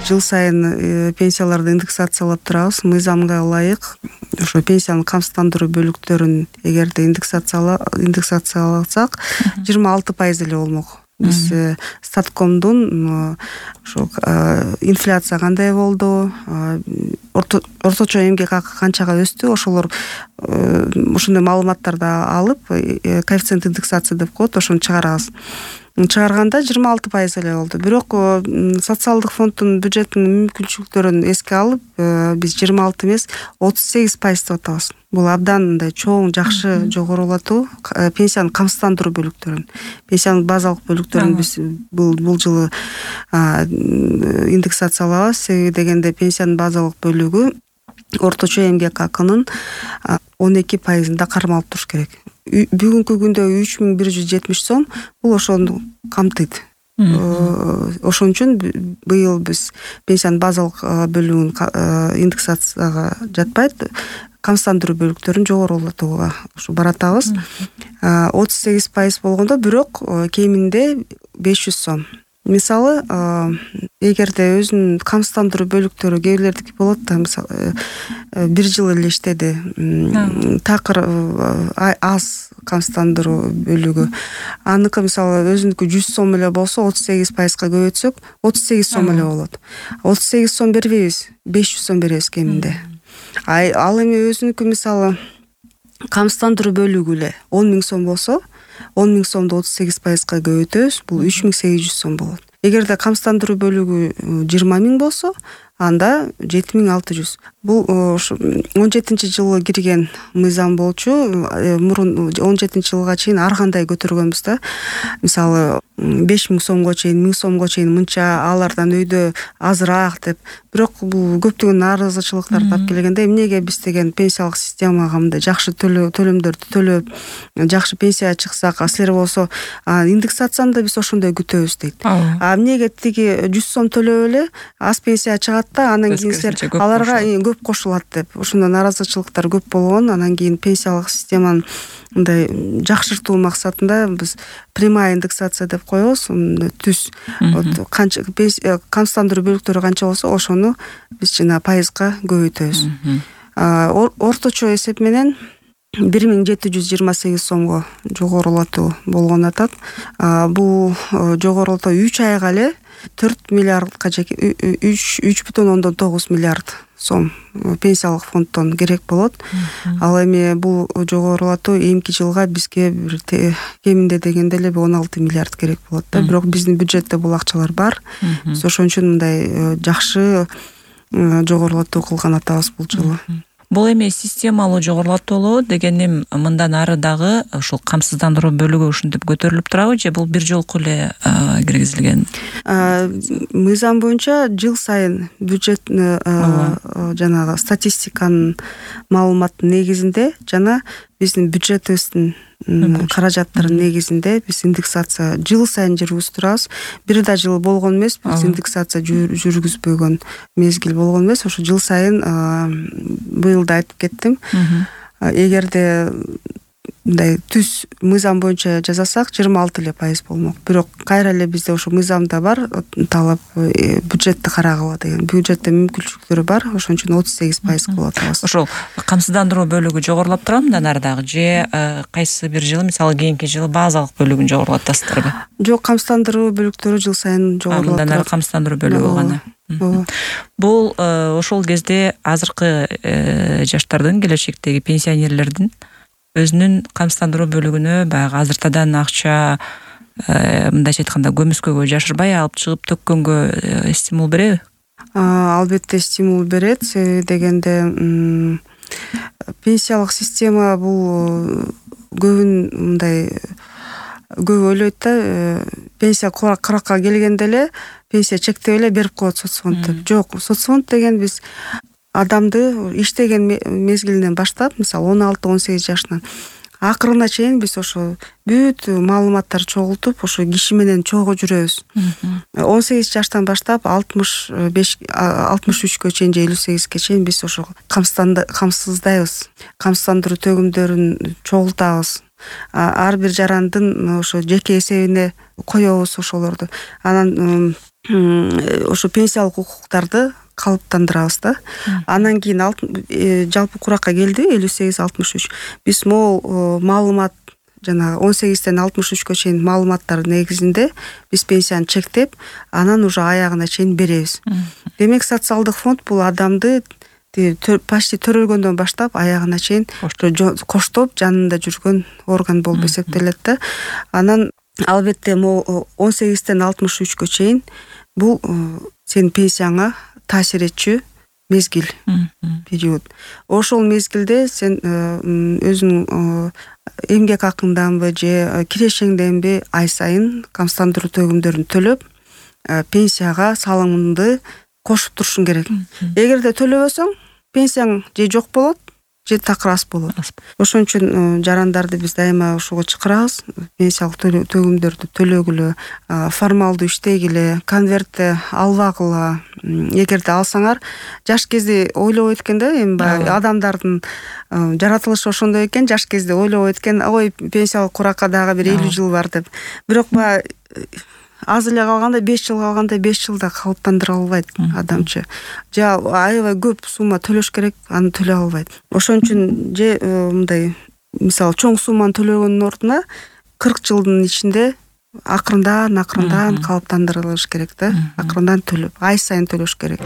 жыл сайын пенсияларды индексациялап турабыз. Мыйзамга ылайык ошо пенсиянын камсыздандыруу бөлүктөрүн эгерде индексацияласак 26% эле болмок. Биз Статкомдун ошо инфляция кандай болду, орточо эмгек акы канчага өстү, ошолор ошондой маалыматтарды алып коэффициент индексация деп коет, ошону чыгарабыз. Чыгарганда 26% эле болду. Бирок социалдык фонддун бюджетинин мүмкүнчүлүктөрүн эске алып, биз 26 эмес 38% деп атабыз. Бул абдан мындай чоң, жакшы жогорулатуу пенсиянын камсыздандыруу бөлүктөрүн. Пенсиянын базалык бөлүктөрүн биз бул жылы индексациялабыз. Себеби дегенде пенсиянын базалык бөлүгү орточо эмгек акынын 12%-ында кармалып туруш керек. Бүгүнкү күндө 3170 сом бул ошону камтыйт. Ошон үчүн быйыл биз пенсиянын базалык бөлүгүн индексацияга жатпайт, камсыздандыруу бөлүктөрүн жогорулатууга ушу баратабыз. 38% болгондо бирок кеминде 500 сом. Мисалы, эгерде өзүнүн камсыздандыруу бөлүктөрү кээ бирлердики болот да, мисалы, бир жыл эле иштеди, такыр аз камсыздандыруу бөлүгү. Аныкы мисалы өзүнүкү 100 сом эле болсо, 38%га көбөйтсөк, 38 сом эле болот. 38 сом бербейбиз, 500 сом беребиз кеминде. Ал эми өзүнүкү мисалы камсыздандыруу бөлүгү эле 10 000 сом болсо, 10 000 сомду 38%га көбөйтөбүз, бул 3800 сом болот. Эгерде камсыздандыруу бөлүгү 20 000 болсо, анда 7600. Бул ошо 17-жылы кирген мыйзам болчу. Мурун 17-жылга чейин ар кандай көтөргөнбүз да. Мисалы 5000 сомго чейин, 1000 сомго чейин мынча, алардан өйдө азыраак деп. Бирок бул көптөгөн нааразычылыктарды алып келгенде, эмнеге биз деген пенсиялык системага мындай жакшы төлөмдөрдү төлөп, жакшы пенсия чыксак, силер болсо индексацияны да биз ошондой күтөбүз дейт. Эмнеге тиги 100 сом төлөп эле аз пенсия чыгат да, анан кийин силер аларга көп кошулат деп. Ошондой нааразычылыктар көп болгон. Анан кийин пенсиялык системаны мындай жакшыртуу максатында биз прямая индексация деп коебуз. Түз канча камсыздандыруу бөлүктөрү канча болсо, ошону биз жана пайызга көбөйтөбүз. Орточо эсеп менен 1728 сомго жогорулатуу болгон атат. Бул жогорулатуу 3 айга эле 4 миллиардка 3,9 миллиард сом пенсиялык фонддон керек болот. Ал эми бул жогорулатуу эмки жылга бизге кеминде дегенде эле 16 миллиард керек болот да. Бирок биздин бюджетте бул акчалар бар. Биз ошон үчүн мындай жакшы жогорулатуу кылган атабыз бул жылы. Бул эми системалуу жогорулатуу дегеним мындан ары дагы ушул камсыздандыруу бөлүгү ушинтип көтөрүлүп турабы, же бул бир жолку эле киргизилген? Мыйзам боюнча жыл сайын бюджет жанагы статистиканын маалыматтын негизинде жана биздин бюджетибиздин каражаттардын негизинде биз индексация жыл сайын жүргүзүп бир да жыл болгон эмес, биз индексация жүргүзбөгөн мезгил болгон эмес. Ошо жыл сайын быйыл да айтып кеттим. Эгерде мындай түз мыйзам боюнча жасасак 26% эле болмок. Бирок кайра эле бизде ошо мыйзамда бар талап бюджетти карагыла деген. Бюджетте мүмкүнчүлүктөрү бар, ошон үчүн 38% болот. Ошол камсыздандыруу бөлүгү жогорулап турабы мындан ары дагы, же кайсы бир жылы, мисалы кийинки жылы базалык бөлүгүн жогорулатасыздарбы? Жок, камсыздандыруу бөлүктөрү жыл сайын жогорулап турат. Мындан ары камсыздандыруу бөлүгү гана. Бул ошол кезде азыркы жаштардын, келечектеги пенсионерлердин өзүнүн камсыздандыруу бөлүгүнө баягы азыртадан акча, мындайча айтканда көмүскөгө жашырбай алып чыгып төккөнгө стимул береби? Албетте стимул берет. Себеби дегенде пенсиялык система бул көбүн мындай көп ойлойт да, пенсия куракка келгенде эле пенсия чектеп эле берип коет соцфонд деп. Жок, соцфонд деген биз адамды иштеген мезгилинен баштап, мисалы 16-18 жашынан акырына чейин биз ошо бүт маалыматтарды чогултуп, ошо киши менен чогуу жүрөбүз. 18 жаштан баштап 63-кө чейин же 58-ке чейин биз ошо камсыздайбыз. Камсыздандыруу төгүмдөрүн чогултабыз. Ар бир жарандын ошо жеке эсебине коебуз ошолорду. Анан ошо пенсиялык укуктарды калыптандырабыз да. Анан кийин жалпы куракка келди 58-63. Биз могул маалымат жана 18-тен 63-кө чейин маалыматтар негизинде биз пенсияны чектеп, анан уже аягына чейин беребиз. Демек социалдык фонд бул адамды почти төрөлгөндөн баштап аягына чейин коштоп жанында жүргөн орган болуп эсептелет да. Анан албетте могу 18-тен 63-кө чейин бул сенин пенсияңа таасир этчү мезгил, период. Ошол мезгилде сен өзүнүн эмгек акыңданбы же кирешеңденби ай сайын камсыздандыруу төгүмдөрүн төлөп, пенсияга салымыңды кошуп турушуң керек. Эгерде төлөбөсөң, пенсияң же жок болот, же такыр аз болот. Ошон үчүн жарандарды биз дайыма ошого чакырабыз. Пенсиялык төгүмдөрдү төлөгүлө, формалдуу иштегиле, конвертти албагыла. Эгерде алсаңар, жаш кезде ойлобойт экен да, эми баягы адамдардын жаратылышы ошондой экен, жаш кезде ойлобойт экен, ой, пенсиялык куракка дагы бир 50 жыл бар деп. Бирок баягы аз эле калганда 5 жыл калганда 5 жылда калыптандыра албайт адамчы. Же аябай көп сумма төлөш керек, аны төлөй албайт. Ошон үчүн же мындай мисалы чоң сумманы төлөгөндүн ордуна 40 жылдын ичинде акырындан калыптандырылыш керек да. Акырындан төлөп, ай сайын төлөш керек.